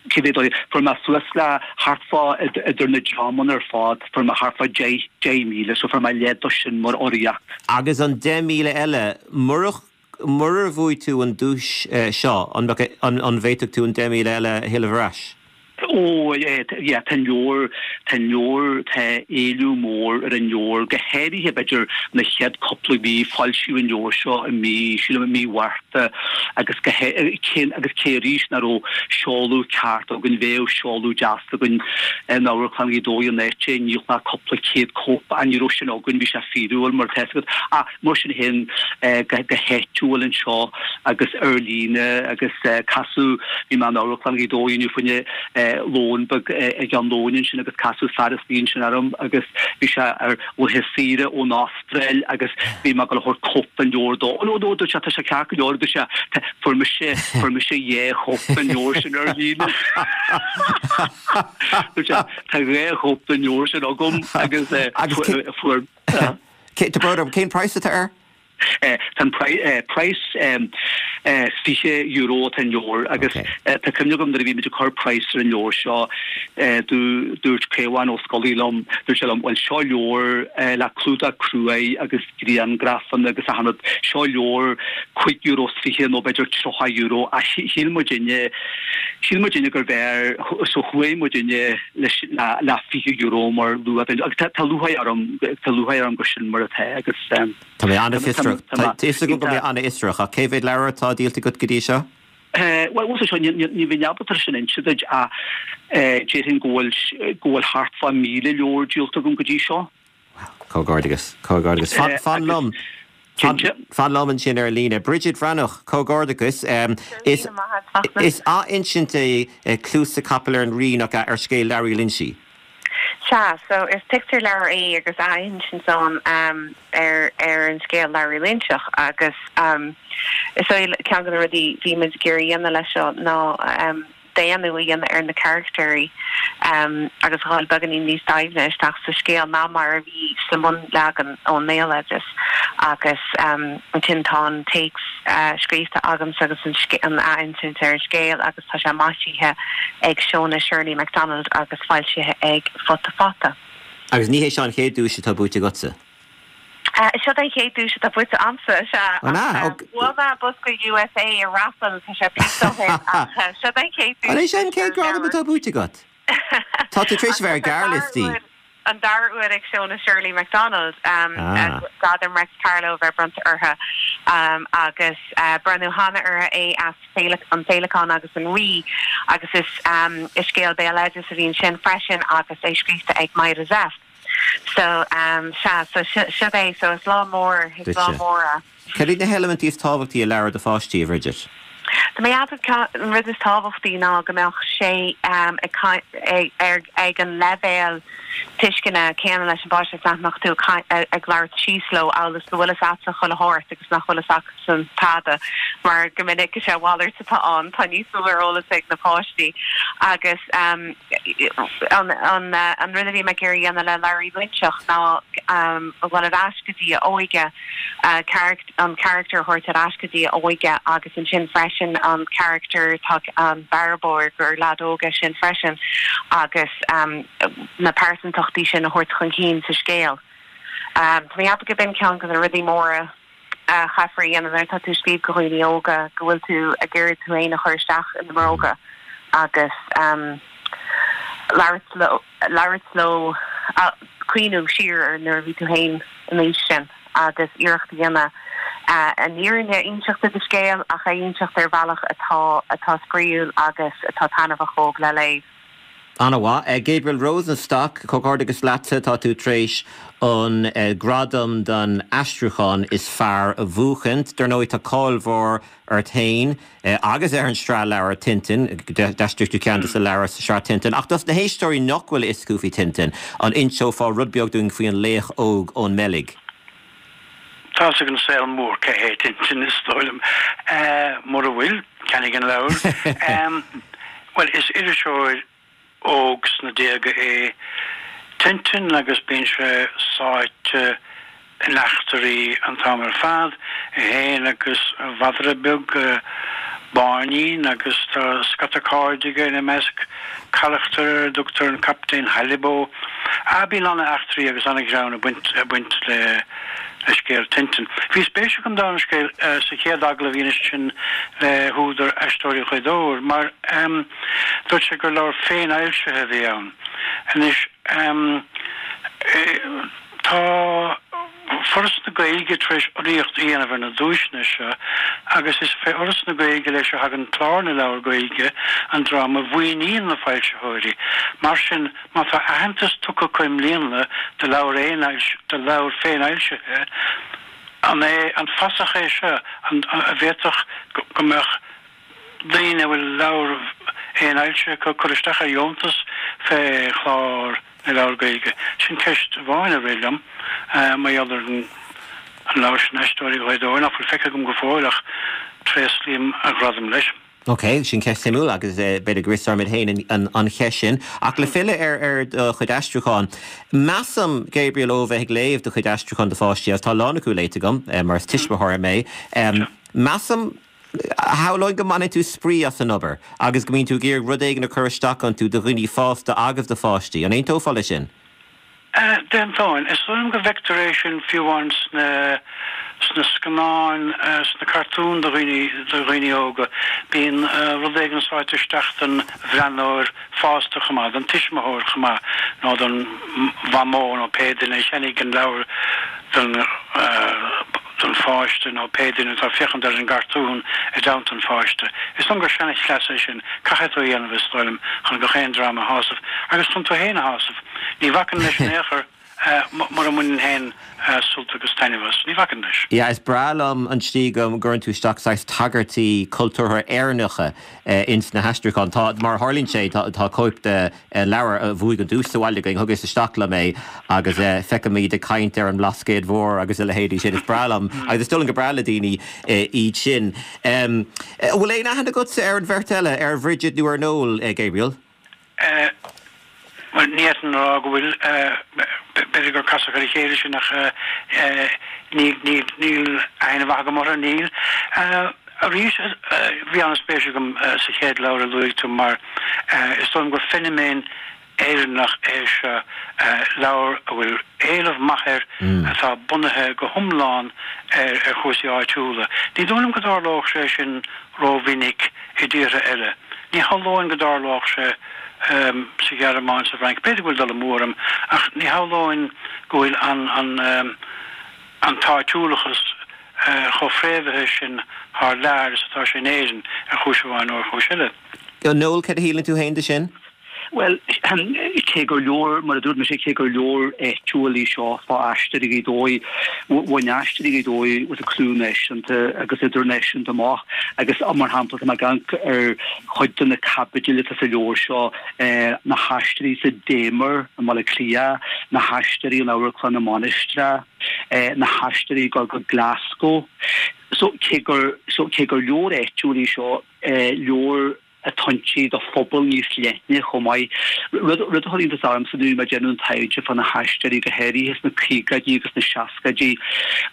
Cé mhéad urraíocht? Fuair mé suas le thart fá, idir na dreamanna ar fad, fuair mé thart fá deich, deich míle, so fuair mé leath de sin mar urraíocht. Agus an deich míle eile, murach, murar bhuaigh tú an duais seo, an mbeadh, an, an bhféadfadh tú an deich míle eile a thuilleamh ar ais? Ó, yeah, tá an leabhar, tá an leabhar, tá éileamh mór ar an leabhar, go háirithe b'fhéidir na chéad cúpla mí, foilsíodh an leabhar seo i mí, sílim i mí Mhárta agus go cé, agus cé arís nach raibh seoladh ceart againn, bheadh seoladh deas againn in Amharclann Ghaoth Dobhair an áit a ndíolfá cúpla céad cóip ach ní raibh sin againn, bhí sé fíorúil mar atá fhios agat. Ach mar sin féin go háitiúil anseo agus ar líne agus casadh, bhí mé in Amharclann Ghaoth Dobhair inniu fá choinne lón beag ag am lóin ansin agus casadh fear istigh ansin orm agus bhí sé ar laetha saoire ón Astráil agus bhí mé ag dul a thabhairt cóip den leabhar dó. Ó no no dúirt sé tá sé ceart go leor dúirt sé fuair mise fuair mise dhá chóip den leabhar sin ar líne. Dúirt sé tá dhá chóip den leabhar sin agam agus fuair Tá brón orm, cén praghas atá air? Tá an praghas fiche euro atá an leabhar agus tá cuimhne agam nuair a bhí muid ag cur praghas ar an leabhar seo dúirt Caomhán Ó Scolaí liom, dúirt sé liom, bhuel seo leabhar le clúdach cruaidh agus griangrafanna agus achan rud, seo leabhar cúig euro is fiche nó b'fhéidir tríocha euro ach shíl muidinne, shíl muidinne gurbh fhearr, so chuaigh muidinne leis le fiche euro mar luach agus tá lúcháir orm, tá lúcháir orm gur sin mar atá agus. Tá mé an-fhiosrach. Tá fhios agam go mbeidh an-fhiosrach, ach cé mhéad leabhar atá díolta agat go dtí seo? Bhuel, bhuel seo, ní bheinn ábalta sin a inse duit ach déarfainn go bhfuil go bhfuil thart fá míle leabhar díolta agam go dtí seo. Wow, comhghairdeas, comhghairdeas. Fan liom, Cinnte. Fan liom ansin ar líne. Bridget Bhreathnach, comhghairdeachas. Is is athinsint é Cluasa Capaill ar an Rí nach ea ar scéal Learaí Loinsigh. Sea, so is pictiúrleabhar é agus athinsint ann um, ar ar an scéal Learaí Loingseach agus um, is é ceann de na rudaí bhí muid ag iarraidh a dhéanamh leis seo ná um, daonnú a dhéanamh ar na carachtair um, agus dhul beagáinín níos doimhne isteach sa scéal ná mar a bhí sa mbunleagan ón mbéaloideas agus um, ansin tá an téacs uh, scríofa agamsa agus an, an athinsint ar an scéal agus tá sé maisithe ag Shona Shirley MacDonald agus foilsithe ag Futa Fata. Agus ní hé seo an chéad duais atá buaite agatsa. Uh, seo an chéad duais atá buaite agamsa Bhuaigh mé bosca USA i raffle tá sé seo an chéad An é sin chéad gradam atá buaite agat? Tá tú tar éis bheith ar gearrliostaí. An dara huair ag Shona Shirley MacDonald um, ah. Gradam Réics Carló bheith bronnta uirthi um, agus uh, bronnadh cheana uirthi é as an Féileacán agus an Rí agus is um, is scéal béaloidis a bhí ansin freisin agus é scríofa ag Myra Zepf. So um, sea so seo é so is lá mór is lá mór. Cad iad na heilimintí is tábhachtaí i leabhar do pháistí Bridget? Tá mé an rud is tábhachtaí ná go mbeadh sé um, ag, ag an leibhéal tuisceana céanna leis an bpáiste nach mbeadh tú ag labhairt síos leo agus go bhfuil a fhios chuile shórt agus nach bhfuil acusan tada mar go minic is é a mhalairt atá ann tá níos mó ar eolas ag na páistí agus um, an, an, an rud a bhí mé ag iarraidh a dhéanamh le Learaí Loingseach ná um, bhfuil ar ais go dtí a óige uh, an charachtar thabhairt ar ais go dtí a óige agus ansin freisin an charachtar tá an bearbóir gur leaid óg é sin freisin agus um, na pearsantachtaí sin a thabhairt chun cinn sa scéal. Um, Tá mé go b'in ceann de na rudaí móra uh, chaithfear a dhéanamh tá tú ag scríobh do dhaoine óga go bhfuil tú ag iarraidh tú féin a chur isteach ina mbróga agus um, labhairt leo uh, cuimhneamh siar ar nuair a bhí tú féin in aois sin agus iarracht a dhéanamh uh, an fhírinne a inseacht de scéal ach a inseacht ar bhealach atá atá spraíúil agus atá taitneamhach le léamh. An-mhaith. Uh, Gabriel Rosenstock comhghairdeachas leatsa tá tú tar éis an uh, gradam don aistriúchán is fearr a bhuachaint, Dar ndóigh tá cáil mhór ort féin uh, agus ar an sraith leabhar Tintin, d'aistrigh tú ceann de na leabhair sa sraith Tintin, ach dos na héisteoirí nach bhfuil a fhios acu faoi Tintin an inseofá rud beag dúinn faoi an laoch óg ón mBeilg. Tá ag an saol mór cé hé Tintin is dóigh liom mura bhfuil ceannaigh an leabhar. Well is iriseoir óg sna déaga é Tintin agus bíonn sé sáite in eachtraí an t-am ar fad é féin agus a mhadra beag Báinín agus tá scata cairde aige ina measc carachtar a dtugtar an Captaen Halibo. A bíonn an-eachtraí agus an-ghreann ag baint ag baint le le scéal Tintin. Bhí spéis agam don scéal uh, sa chéad agallamh a bhí sin le húdar Aisteoirí Ghaoth Dobhair, mar um, dúirt sé gur leabhar féinfhoilsithe a bhí ann. Anois um, tá Foras na Gaeilge tar éis urraíocht a dhéanamh ar na duaiseanna seo agus is fé Fhoras na Gaeilge leis a thagann Clár na Leabhar Gaeilge an dream a mhaoiníonn na foilsitheoirí. Mar sin má tá aitheantas tugtha acu i mbliana do leabhar do leabhar féinfhoilsithe an é an fasach é seo an a bhféadfadh go mbeadh daoine a bhfuil leabhar féinfhoilsithe acu cur isteach ar dheontas fé Chlár na Leabhar Gaeilge. Sin ceist amháin a rith liom mar gheall ar an leabhar sin Aisteoirí Ghaoth Dobhair nach bhfuil feicthe agam go fóill ach tréaslaím a ghradam leis. Ok, sin ceist suimiúil agus b'fhéidir go bhfiosróimid féin an cheist sin. Ach le filleadh ar ar do chuid aistriúchán. Measaim Gabriel ó bheith ag léamh do chuid aistriúchán do pháistí agus tá a lán acu léite agam mar is tuismitheoir mé. Measaim shamhlóinn go mbaineann tú spraoi as an obair, agus go mbíonn tú ag iarraidh rud éigin a chur isteach iontu do dhaoine fásta agus do pháistí. An aontófá leis sin? D'aontóinn. Is dóigh liom go bhfeictear é sin fiú amháin sna sna scannáin, sna cartúin do dhaoine do dhaoine óga. Bíonn rud éigin sáite isteach don bhreathnóir fásta chomh maith, don tuismitheoir chomh maith, nó don mhamó nó pé duine a cheannaigh an leabhar don don pháiste nó pé duine atá ag féachaint ar an gcartún i dteannta an pháiste. Is dóigh liom gur seanchleas é sin, caithfidh tú a dhéanamh is dóigh liom chun gach aon dream a shásamh agus chun tú féin a shásamh. Ní bhacaim leis in aon chor mura mbaineann féin sult agus taitneamh as. Ní bhacaim leis. Yeah, is breá liom an tslí go gcuireann tú isteach saghas tagairtí cultúrtha Éireannacha ins na haistriúcháin. Tá, mar a tharlaíonn sé, tá tá cóip de leabhar a bhuaigh an duais sa bhaile againn, thugas isteach liom é agus feicim iad ag caint ar an mBlascaod Mhór agus a leithéidí sin. Is breá liom agus is dóigh liom gur breá le daoine iad sin. An bhfuil aon aithne agatsa ar an bheirt eile, ar Bhridget nó ar Noel, Gabriel? Bhuel, ní fhéadfainn a rá go bhfuil. B'fhéidir gur casadh ar a chéile sinn ach níl aithne mhaith agam orthu, níl. Arís, bhí an-spéis agam sa chéad leabhar a luaigh tú mar is dóigh liom gur feiniméan Éireannach é seo, leabhar a bhfuil éileamh maith air atá bunaithe go hiomlán ar chúrsaí áitiúla. Ní dóigh liom go dtarlódh sé sin rómhinic i dtíortha eile. Ní shamhlóinn go dtarlódh sé sa Ghearmáin, sa Fhrainc, b'fhéidir go bhfuil dul amú orm, ach ní shamhlóinn go bhfuil an an an t-áitiúlachas chomh fréamhaithe sin thar lear is atá sé in Éirinn, ar chúis amháin nó ar chúis eile. Noel, cad a shíleann tú féin de sin? Bhuel, cé gur leabhar, mar a dúirt mise, cé gur leabhar áitiúil í seo fá Aisteoirí Ghaoth Dobhair, bhain Aisteoirí Ghaoth Dobhair with a clú náisiúnta agus idirnáisiúnta amach agus mar shampla tá mé ag amharc ar chuid de na caibidil atá sa leabhar seo, na haisteoirí sa Damer i mBaile Átha Cliath, na haisteoirí in Amharclann na Mainistreach, na haisteoirí ag dul go Glasgow. So cé gur so cé gur leabhar áitiúil í seo, leabhar atá inti do phobal níos leithne chomh maith. Rud a chuir iontas ormsa nuair a bhí mé ag déanamh an taighde fá na haisteoirí, go háirithe sna caogaidí agus sna seascaidí,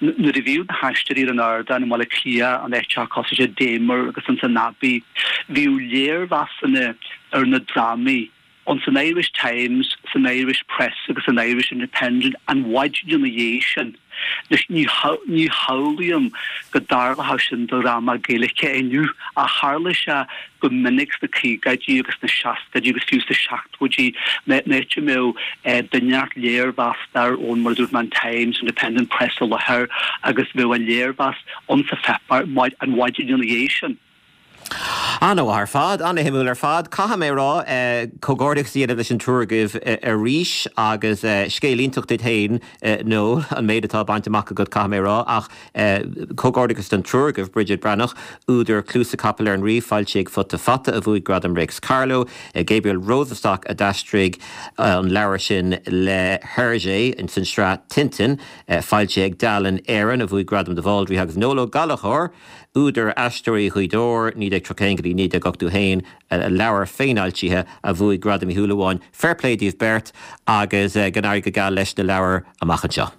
nuair a bhíodh na haisteoirí ar an ardán i mBaile Átha Cliath, in áiteacha cosúil le Damer agus ins an Abbey, bhíodh léirmheasanna ar na drámaí ins an Irish Times, san Irish Press agus san Irish Independent an mhaidin ina dhiaidh sin. Anois, ní ní shamhlaím go dtarlódh sin do dhráma Gaeilge inniu, ach tharla sé go minic sna caogaidí agus sna seascaidí agus fiú sna seachtóidí, in áit a mbeadh duine inteacht léirmheastóir ón, mar a dúirt mé, an Times, Independent, Press i láthair agus bheadh a léirmheas insa pháipéar an mhaidin ina dhiaidh sin. An-mhaith ar fad, an-shuimiúil ar fad. Caithfidh mé a rá, comhghairdeachas a dhéanamh leis an triúr agaibh arís agus scéal iontach duit féin, Noel, an méid atá bainte amach agat, caithfidh mé a rá. Ach comhghairdeachas don triúr agaibh, Bridget Breathnach, údar Cluasa Capaill ar an Rí, foilsithe ag Futa Fata, a bhuaigh Gradam Réics Carló, Gabriel Rosenstock a d'aistrigh an leabhar sin le Hergé ins an sraith Tintin, foilsithe ag Dalen Éireann, a bhuaigh Gradam de Bhaldraithe, agus Noel Ó Gallchóir, Údar Aisteoirí Ghaoth Dobhair, naoi déag tríocha a haon go dtí naoi déag ochtó a haon, a leabhar féinfhoilsithe a bhuaigh Gradam Uí Shúilleabháin. Fair play daoibh beirt agus go n-éirí go geal leis na leabhair amach anseo.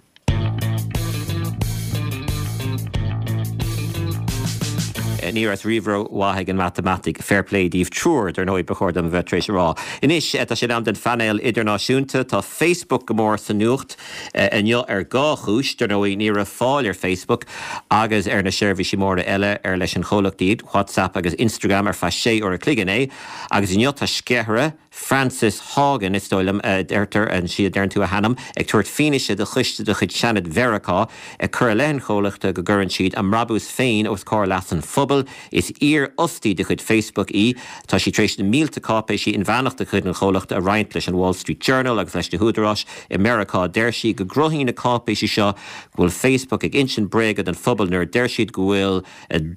Ní raibh riamh rómhaith ag an matamaitic. Fair play daoibh triúr, dar ndóigh, ba chóir dom a bheith tar éis a rá. Anois, tá sé in am don phainéal idirnáisiúnta. Tá Facebook go mór sa nuacht. Inniu ar dhá chúis, dar ndóigh, ní raibh fáil ar Facebook agus ar na seirbhísí móra eile ar leis an chomhlacht iad, WhatsApp agus Instagram, ar feadh sé uair a chloig inné. Agus inniu tá sceithire, Frances Haugen, is dóigh liom a deirtear, an sí a deireann tú a hainm, ag tabhairt fianaise do choiste de chuid Seanad Mheiriceá, ag cur i leith an chomhlachta go gcuireann siad a mbrabús féin os comhair leas an phobail. Is iarfhostaí de chuid Facebook í. Tá sí tar éis na mílte cáipéisí inmheánach de chuid an chomhlachta a roinnt leis an Wall Street Journal agus leis na húdaráis i Meiriceá. Deir sí go gcruthaíonn na cáipéisí seo go bhfuil Facebook ag insint bréaga don phobal nuair a deir siad go bhfuil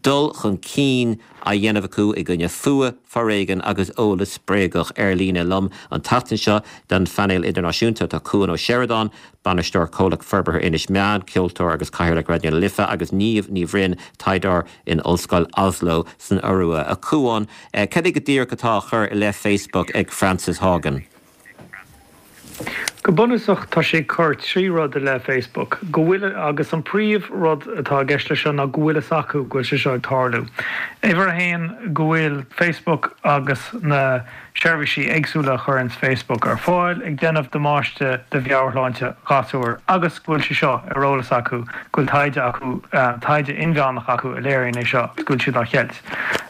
dul chun cinn á dhéanamh acu i gcoinne fuath, foréigean agus eolas bréagach ar líne. Liom an tseachtain seo don phainéal idirnáisiúnta tá Cuan Ó Seireadáin, Bainisteoir Comhlacht Forbartha Inis Meáin, ceoltóir agus Cathaoirleach Raidió na Life agus Niamh Ní Bhroin, taighdeoir in Ollscoil Oslo san Iorua. A Chuáin, cad é go díreach atá á chur i leith Facebook ag Frances Haugen? Go bunúsach tá sé ag cur trí rud i leith Facebook, go bhfuil, agus an príomh rud atá i gceist leis seo ná go bhfuil fhios acu go bhfuil sé seo ag tarlú. Uimhir a haon, go bhfuil Facebook agus na seirbhísí éagsúla a chuireanns Facebook ar fáil ag déanamh damáiste do mheabhairshláinte ghasúr agus go bhfuil sé seo ar eolas acu, go bhfuil taighde acu, taighde inmheánach acu a léiríonn é seo agus go bhfuil siad á cheilt.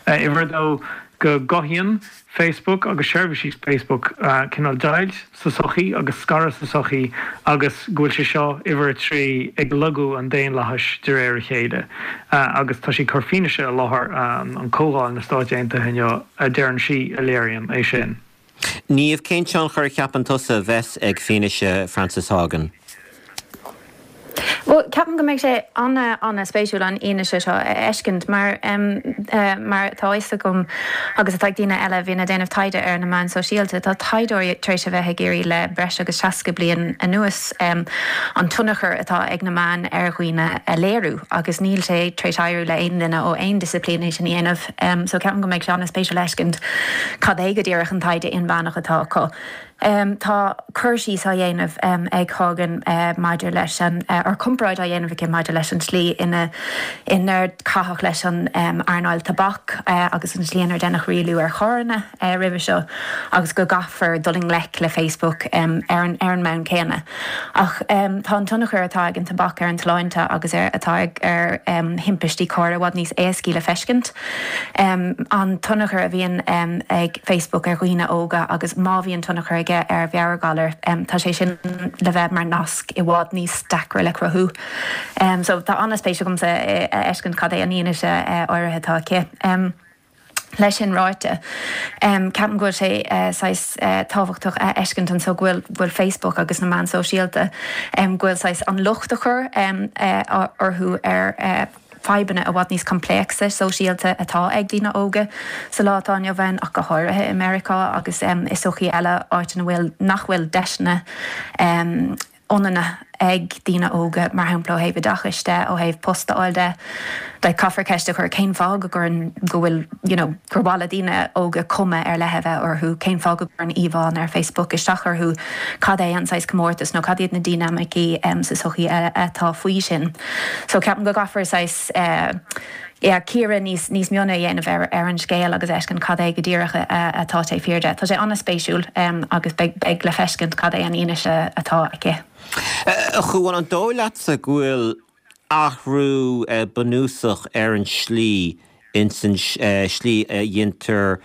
Uimhir a dó, go gcothaíonn Facebook agus seirbhísí Facebook cineál deighilt sa tsochaí agus scaradh sa tsochaí agus go bhfuil sé seo, uimhir a trí, ag lagú an daonlathais de réir a chéile agus tá sí ag cur fianaise i láthair an Comhdháil na Stáit Aontaithe inniu a deireann sí a léiríonn é sin. Niamh, cén tionchar a cheapann tusa a bheas ag fianaise Frances Haugen? Well, ceapaim go mbeidh sé an-an-spéisiúil an fhianaise seo a fheiscint mar um, uh, mar tá fhios agam agus atá daoine eile a bhíonn ag déanamh taighde ar na meáin sóisialta, tá taighdeoirí tar éis a bheith ag iarraidh le breis agus seasca bliain anuas um, an tionchar atá ag na meáin ar dhaoine a léiriú agus níl sé tar éis éirí le aon duine ó aon disciplín é sin a dhéanamh. Um, so ceapaim go mbeidh sé an-spéisiúil a fheiscint cad é go díreach an taighde inmheánach atá acu. Um, tá cur síos á dhéanamh um, ag Hogan uh, maidir leis an uh, ar comparáid á dhéanamh aici maidir leis an slí ina inar caitheadh leis an um, earnáil tobac uh, agus an slí inar deineadh rialú ar charranna uh, roimhe seo agus go gcaithfear dul i ngleic le Facebook um, ar an ar an mbonn céanna. Ach um, tá an tionchar atá ag an tobac ar an tsláinte agus ar atá ag ar um, thimpistí cairr i bhfad níos éascaí le feiscint. Um, an tionchar a bhíonn um, ag Facebook ar dhaoine óga agus má bhíonn tionchar aige ar mheabhairghalair um, tá sé sin le bheith mar nasc i bhfad níos deacra le cruthú. Um, so tá an-spéis agamsa a fheiscint cad é an fhianaise uh, áirithe atá aici. Um, Leis sin ráite um, ceapaim go bhfuil sé uh, saghas uh, tábhachtach a fheiscint anseo go bhfuil bhfuil Facebook agus na meáin sóisialta um, go bhfuil saghas an locht a chur um, uh, orthu ar uh, fadhbanna i bhfad níos coimpléacsa sóisialta atá ag daoine óga sa lá atá inniu ann ach go háirithe i Meiriceá agus um, i sochaí eile áit ina bhfuil nach bhfuil deiseanna um, ionanna ag daoine óga mar shampla ó thaobh oideachais de ó thaobh post a fháil de. Le caithfear ceist a chur cén fáth go gcuireann go bhfuil you know, gur mhaith le daoine óga cuma ar leith a bheith orthu, cén fáth go gcuireann íomhánna ar Facebook isteach orthu cad é an saghas comórtas nó cad iad na dinimicí um, sa sochaí atá faoi sin. So ceapaim go gcaithfear saghas uh, yeah, cíoradh níos níos mione a dhéanamh ar ar an scéal agus fheiscint cad é go díreach atá taobh thiar de. Tá sé an-spéisiúil um, agus beidh beidh le feiscint cad é an fhianaise atá aici. A Chuáin an dóigh leatsa go bhfuil athrú bunúsach ar an slí ins an slí a dhéantar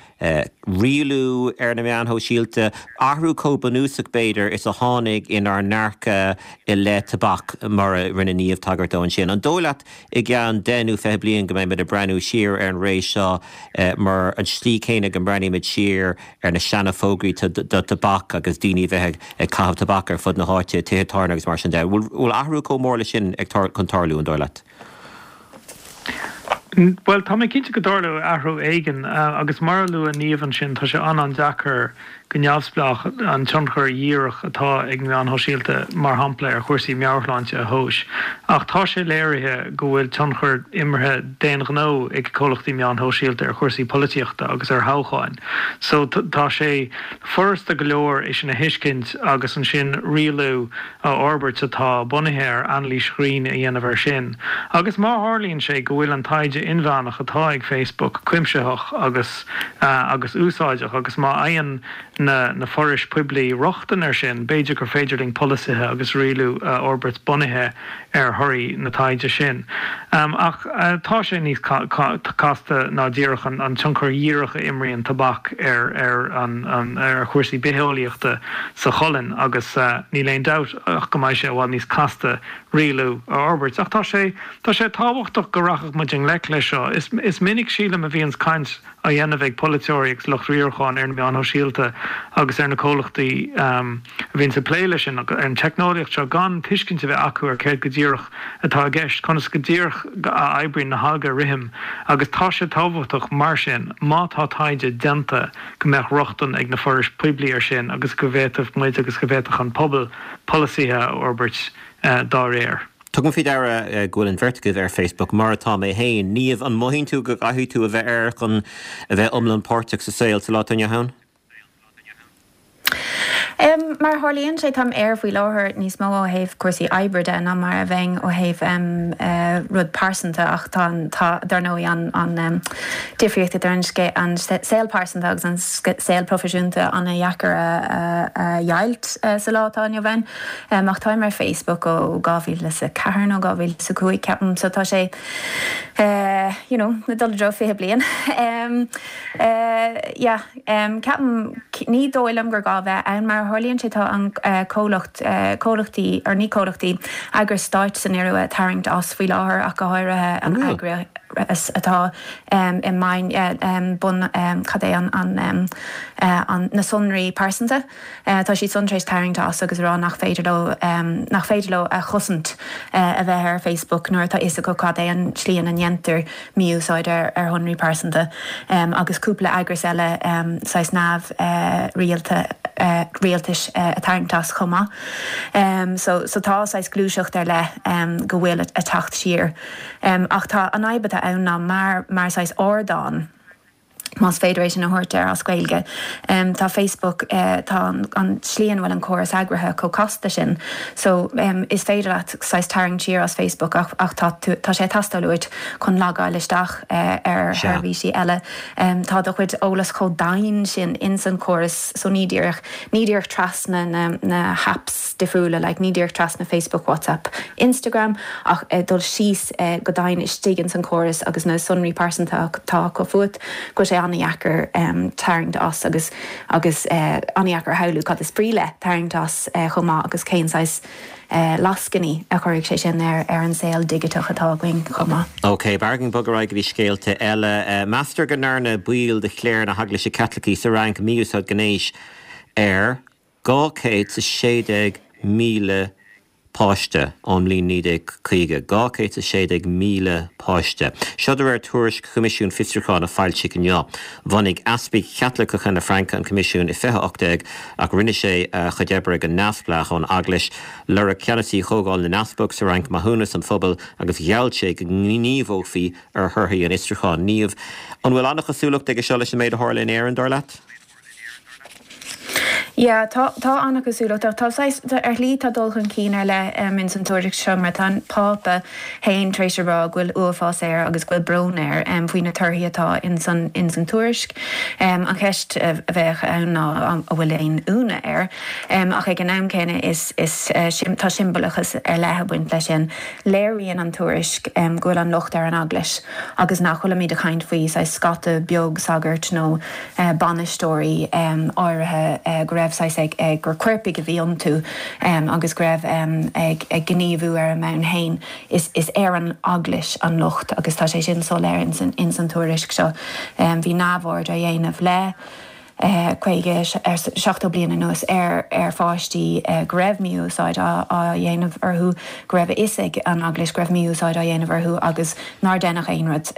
rialú ar na meáin shóisialta, athrú chomh bunúsach b'fhéidir is a tháinig inár ndearcadh i leith tobac mar a rinne Niamh tagairt dó ansin. An dóigh leat i gceann deich nó fiche bliain go mbeimid ag breathnú siar ar an ré seo mar an slí céanna go mbreathnaímid siar ar na seana-fhógraí do tobac agus daoine bheith ag caitheamh tobac ar fud na háite, tithe tábhairne agus mar sin de. Bhfuil athrú chomh mór leis sin ag chun tarlú an dóigh leat? Well tá mé cinnte go dtarlóidh athrú éigin agus mar a luaigh Niamh ansin tá sé an-an-deacair go neamhspleách an tionchar díreach atá ag meáin shóisialta mar shampla ar chúrsaí meabhairshláinte a thomhas. Ach tá sé léirithe go bhfuil tionchar imeartha d'aon ghnó ag comhlachtaí meáin shóisialta ar chúrsaí polaitíochta agus ar thoghcháin. So tá sé furasta go leor é sin a thuiscint agus ansin rialú a fhorbairt atá bunaithe ar anailís chruinn a dhéanamh air sin. Agus má tharlaíonn sé go bhfuil an taighde inmheánach atá ag Facebook cuimsitheach agus agus úsáideach agus má fhaigheann na na forais poiblí rochtain air sin, b'fhéidir gur féidir linn polasaithe agus rialú a fhorbairt bunaithe ar thorthaí na taighde sin. Um, ach uh, tá sé níos ca ca casta ná díreach an, an tionchar díreach a imríonn tobac ar ar an, an ar chúrsaí bitheolaíochta sa cholainn agus uh, níl aon dabht ach go mbeidh sé i bhfad níos casta rialú a fhorbairt. Ach tá sé tá sé tábhachtach go rachadh muid i ngleic leis seo. Is, is minic sílim a bhíonns caint á dhéanamh ag polaiteoirí agus lucht riaracháin ar na meáin shóisialta agus ar na comhlachtaí um, a bhíonn ag plé leis sin ar an teicneolaíocht seo gan tuiscint a bheith acu ar céard go díreach atá i gceist, conas go díreach a oibríonn na halgarithim agus tá sé tábhachtach mar sin má tá taighde déanta go mbeadh rochtain ag na forais poiblí air sin agus go bhféadfadh muid agus go bhféadfadh an pobal polasaithe a fhorbairt uh, dá réir. Tugaim faoi deara go bhfuil an bheirt agaibh ar Facebook mar atá mé féin. Niamh an mothaíonn tú go gcaithfidh tú a bheith air chun a bheith iomlán páirteach sa saol sa lá atá inniu ann? Um, mar tharlaíonn sé táim air faoi láthair níos mó ó thaobh cúrsaí oibre de ná mar a bheinn ó thaobh um, uh, rud pearsanta ach tá tá dar ndóigh an an um, difríocht idir an an saol pearsanta agus an saol proifisiúnta an-deacair a, a, a dheighilt uh, sa lá atá inniu ann. Um, ach táim ar Facebook ó dhá mhíle is a ceathair nó dhá mhíle is a cúig ceapaim so tá sé uh, you know, na dul dro fiche bliain. um, uh, yeah, um, ceapaim ní dóigh liom gur gá bheith ann mar tharlaíonn sé tá an uh, comhlacht uh, comhlachtaí ar ní comhlachtaí eagrais stáit san Iorua ag tarraingt as faoi láthair ach go háirithe an atá i mbun cad é an an an na sonraí pearsanta. Tá siad san tar éis tarraingt as agus rá nach féidir leo nach féidir leo a chosaint a bheith ar Facebook nuair atá fhios acu cad é an tslí ina ndéantar mí-úsáid ar ar shonraí pearsanta agus cúpla eagras eile saghas neamh rialta rialtais ag tarraingt as chomh maith. So so tá saghas gluaiseacht ar leith go bhfuil ag teacht siar. Ach tá an fhadhb atá ann ná mar mar saghas ardán más féidir é sin a thabhairt air as Gaeilge. Um, tá Facebook uh, tá an, an tslí ina bhfuil an córas eagraithe chomh casta sin. So um, is féidir leat saghas tarraingt siar as Facebook ach, ach tá, tá sé ag teastáil uait chun logáil isteach uh, ar sheirbhísí eile. Um, tá do chuid eolas chomh domhain sin in san córas so ní díreach ní díreach trasna na, na apps difriúla, like, ní díreach trasna Facebook, WhatsApp, Instagram ach uh, dul síos uh, go domhain istigh in san córas agus na sonraí pearsanta atá acu fút go sé an-deacair um, tarraingt as agus agus uh, an-deacair shamhlú cad is brí le tarraingt as uh, chomh maith agus cén saghas uh, lascainí a chuirfidh sé sin ar ar an saol digiteach atá againn chomh maith. Ok, Bargain bugarrá go dtí scéalta eile uh, Meastar go ndearna baill de chléir na hEaglaise Caitlicí sa Fhrainc mí-úsáid gnéis ar dhá chéad is sé déag míle páiste ón mbliain naoi déag caoga, dhá chéad is sé déag míle páiste. Seo de réir tuairisc Choimisiún Fiosrúcháin a foilsíodh inniu. Bhunaigh easpaig Chaitliceacha na Fraince an Coimisiún i fiche ocht déag ach rinne sé a chuid oibre go neamhspleách ón Eaglais. Lorg ceannasaí Chomhdháil na nEaspag sa Fhrainc maithiúnas an phobail agus gheall sé go ngníomhófaí ar thorthaí an fhiosrúcháin. Niamh, an bhfuil an-chosúlacht aige seo leis an méid a tharla in Éirinn dar leat? Ja, tá tá an-chosúlacht tá ar shlí tá dul chun cinn ar leith um, in san tuairisc seo mar tá an Pápa féin tar éis a rá go bhfuil uafás air agus go bhfuil brón air um, faoi na torthaí atá in san in san tuairisc. Um, an cheist a bheadh ann ná an bhfuil aon ionadh air. Um, ach ag an am céanna is, is uh, sim, tá siombalachas ar leith ag baint leis sin. Léiríonn an tuairisc um, go bhfuil an locht ar an eaglais agus nach bhfuilimid ag caint faoi saghas scata beag sagart nó uh, bainisteoirí um, áirithe uh, go raibh saghas ag, ag gur coirpigh a bhí iontu um, agus go raibh um, ag, ag gníomhú ar a mbonn féin is, is ar an eaglais an locht agus tá sé sin soiléir in san, in san tuairisc seo. Um, bhí neamhaird á dhéanamh le caoga ar seachtó bliain anuas ar ar pháistí go raibh mí-úsáid á dhéanamh orthu go raibh a fhios ag an eaglais go raibh mí-úsáid á dhéanamh orthu agus nár deineadh aon rud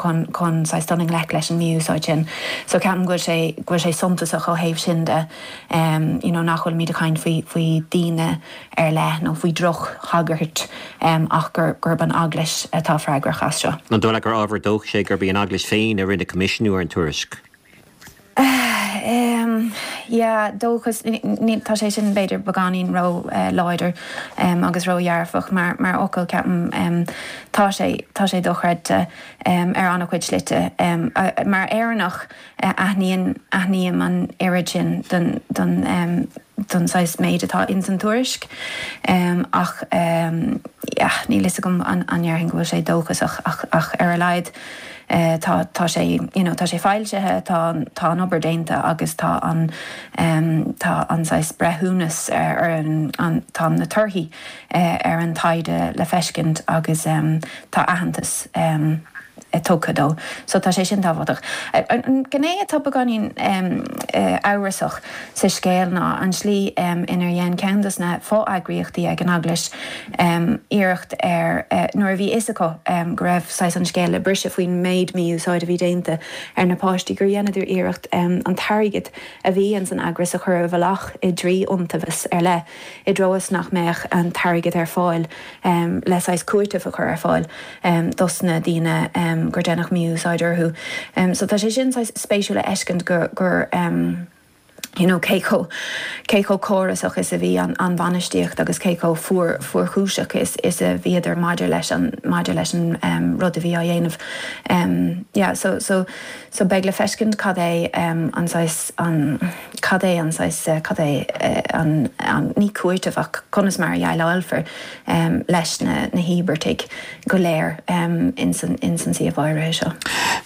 chun chun saghas dul i ngleic leis an mí-úsáid sin. So ceapaim go bhfuil sé go bhfuil sé suntasach ó thaobh sin de um, you know, nach bhfuilimid ag caint faoi faoi daoine ar leith nó faoi drochshagairt um, ach gur gurb an eaglais atá freagrach as seo. An dóigh leat gur ábhar dóchais é gurb í an eaglais féin a rinne coimisiúnú ar an tuairisc. Um, yeah, dóchas tá sé sin b'fhéidir beagáinín ró uh, láidir um, agus ródhearfach mar mar fhocal ceapaim um, tá sé tá sé dochreidte um, ar an-chuid slite um, uh, mar Éireannach uh, aithníonn aithním an oiread sin don don um, don saghas méid atá in san tuairisc um, ach um, yeah, níl a fhios agam an an ndéarfainn go bhfuil sé dóchasach ach, ach ar a laghad Uh, tá tá sé you know, tá sé foilsithe tá tá an obair déanta agus tá an um, tá an saghas breithiúnas ar, ar an, an tá na torthaí uh, ar an taighde le feiscint agus um, tá aitheantas um, tugtha dó. So tá sé sin tábhachtach. An gné atá beagáinín um, uh, amhrasach sa scéal ná an slí um, inar dhein ceann de na fo-eagraíochtaí ag an eaglais um, iarracht ar uh, nuair a bhí fhios acu um, go raibh saghas an scéal le briseadh faoin méid mí-úsáid a bhí déanta ar na páistí gur dheineadar iarracht um, an t-airgead a bhí in san eagras a chur i bhfolach i dtrí iontaobhas ar leith i dtreo is nach mbeadh an t-airgead ar fáil um, le saghas cúiteamh a chur ar fáil um, dos na daoine um, gur deineadh mí-úsáid orthu. Um, so tá sé sin spéisiúil a fheiscint gur gur um, you know, cé chomh cé chomh córasach is a bhí an, an bhainistíocht agus cé chomh fuar fuarchúiseach is is a bhíodar maidir leis an maidir leis an um, rud a bhí á dhéanamh. Um, yeah, so, so, so beidh le feiscint cad é um, an saghas an cad é an saghas, cad é an, an, ní cúiteamh ach conas mar a dhéileálfar leis na na híobartaigh go léir ins an ins an suíomh áirithe seo.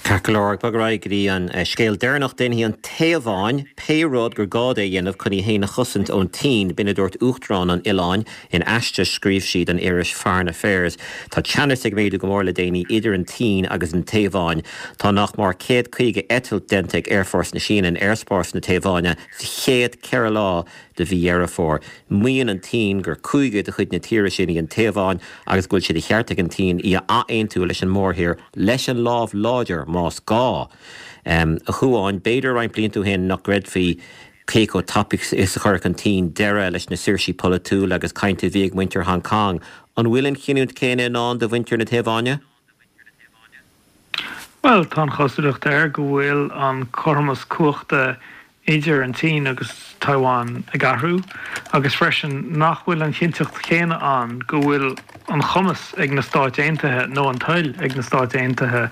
Ceart go leor, ag bogadh ar aghaidh go dtí an scéal deireanach, déanfaidh an Téaváin pé rud gur gá di a dhéanamh chun í féin a chosaint ón tSín, b'in a dúirt Uachtarán an oileáin in aiste a scríobh sí don iris Foreign Affairs. Tá teannas ag méadú go mór le déanaí idir an tSín agus an Téaváin. Tá nach mór céad caoga eitilt déanta ag Aerfhórsa na Síne in aerspás na Téaváine sa chéad ceithre lá de mhí Dheireadh Fómhair. Maíonn an tSín gur cúige de chuid na tíre sin í an Téaváin agus go bhfuil sé de cheart ag an tSín í a athaontú leis an mórthír leis an lámh láidir más gá. A Chuáin, b'fhéidir roinnt blianta ó shin nach gcreidfí cé chomh tapaidh is a chuirfeadh an tSín deireadh leis na saoirsí polaitiúla agus cainte a bhí ag muintir Hong Kong. An bhfuil an chinniúint chéanna i ndán do mhuintir na Téaváine? Bhuel, tá an chosúlacht air go bhfuil an cothromas cumhachta idir an tSín agus Taiwan ag athrú agus freisin nach bhfuil an chinnteacht chéanna ann go bhfuil an cumas ag na Stáit Aontaithe nó an toil ag na Stáit Aontaithe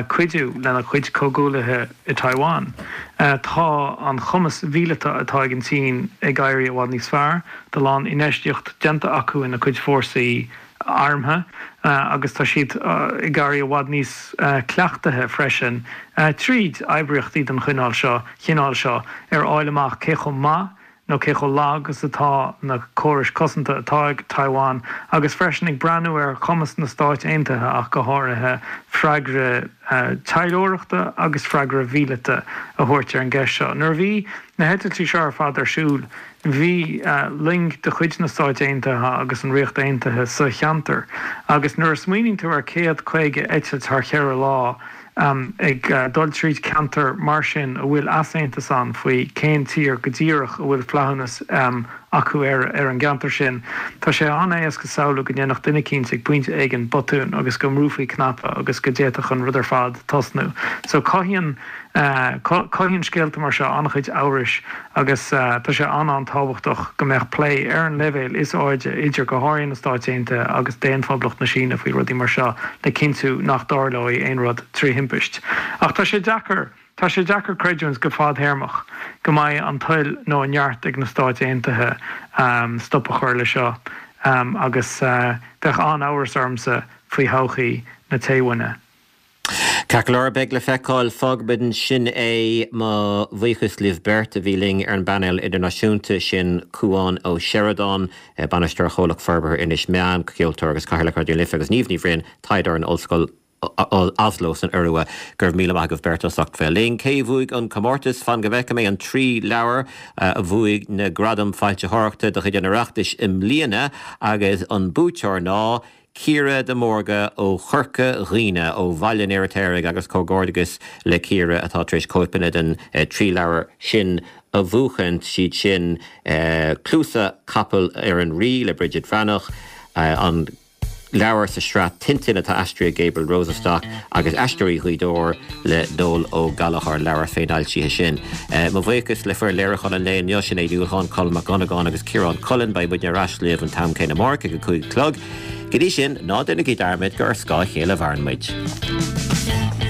cuidiú lena cuid comhghuaillithe i Taiwan. Tá an cumas míleata atá ag an tSín ag éirí i bhfad níos fearr, tá a lán infheistíocht déanta acu ina cuid fórsaí armtha agus tá siad ag éirí i bhfad níos cleachtaithe freisin tríd oibríochtaí den chineál seo chineál seo ar fháil amach cé chomh maith nó cé chomh lag is atá na córais cosanta atá ag Taiwan agus freisin ag breathnú ar chumas na Stáit Aontaithe ach go háirithe freagra taidhleoireachta agus freagra míleata a thabhairt ar an gceist seo. Nuair a bhí na heitiltí seo ar fad ar siúl, bhí loing de chuid na Stáit Aontaithe agus an Ríocht Aontaithe sa cheantar agus nuair a smaoiníonn tú ar céad caoga eitilt thar cheithre lá ag dul tríd ceantar mar sin a bhfuil easaontas ann faoi cén tír go díreach a bhfuil flaithiúnas acu ar ar an gceantar sin, tá sé an-éasca samhlú go ndéanfadh duine eicínt ag pointe éigin botún agus go mbrúfaí cnaipe agus go d'fhéadfadh an rud ar fad tosnú. So cothaíonn Cothaíonn scéalta mar seo an-chuid amhrais agus tá sé an-an-tábhachtach go mbeadh plé ar an leibhéal is airde idir go háirithe na Stáit Aontaithe agus Daon-Phoblacht na Síne faoi rudaí mar seo le cinntiú nach dtarlóidh aon rud trí thimpist. Ach tá sé deacair, tá sé deacair creidiúint go fadthéarmach go mbeidh an toil nó an neart ag na Stáit Aontaithe stop a chur le seo agus bheadh an-amhras ormsa faoi thodhchaí na Téaváine. Ceart go leor, beidh le feiceáil. Fágfaimid ansin é. Mo bhuíochas libh beirt a bhí linn ar an bpainéal idirnáisiúnta, sin Cúán Ó Seireadáin, Bainisteoir Chomhlacht Forbartha Inis Meáin, ceoltóir agus Cathaoirleach Raidió na Life agus Niamh Ní Bhroin, taighdeoir in Ollscoil Oslo san Iorua. Go raibh míle maith agaibh beirt as ucht bheith linn. Cé a bhuaigh an comórtas? Fan go bhfeice mé an trí leabhar a bhuaigh na gradaim foilsitheoireachta de chuid an Oireachtais i mbliana agus an buaiteoir ná Ciara de Mórdha ó Chorca Dhuibhne, ó Bhaile an Fheirtéaraigh agus comhghairdeachas le Ciara atá tar éis cóipeanna den trí leabhar sin a bhuachaint, siad sin Cluasa Capaill ar an Rí le Bridget Bhreathnach, an leabhar sa sraith Tintin atá aistrithe ag Gabriel Rosenstock agus Aisteoirí Ghaoth Dobhair le Noel Ó Gallchóir, leabhar féinfhoilsithe sin. Mo bhuíochas le foireann léiriúcháin an lae inniu, Sinéad Ní Uallacháin, Colm Mac Dhonnagáin agus Ciarán Cullen. Beidh muidne ar ais libh an t-am céanna amárach ag a cúig a chlog. Go dtí sin, ná déanaigí dearmad gur ar scáth a chéile a mhaireann muid.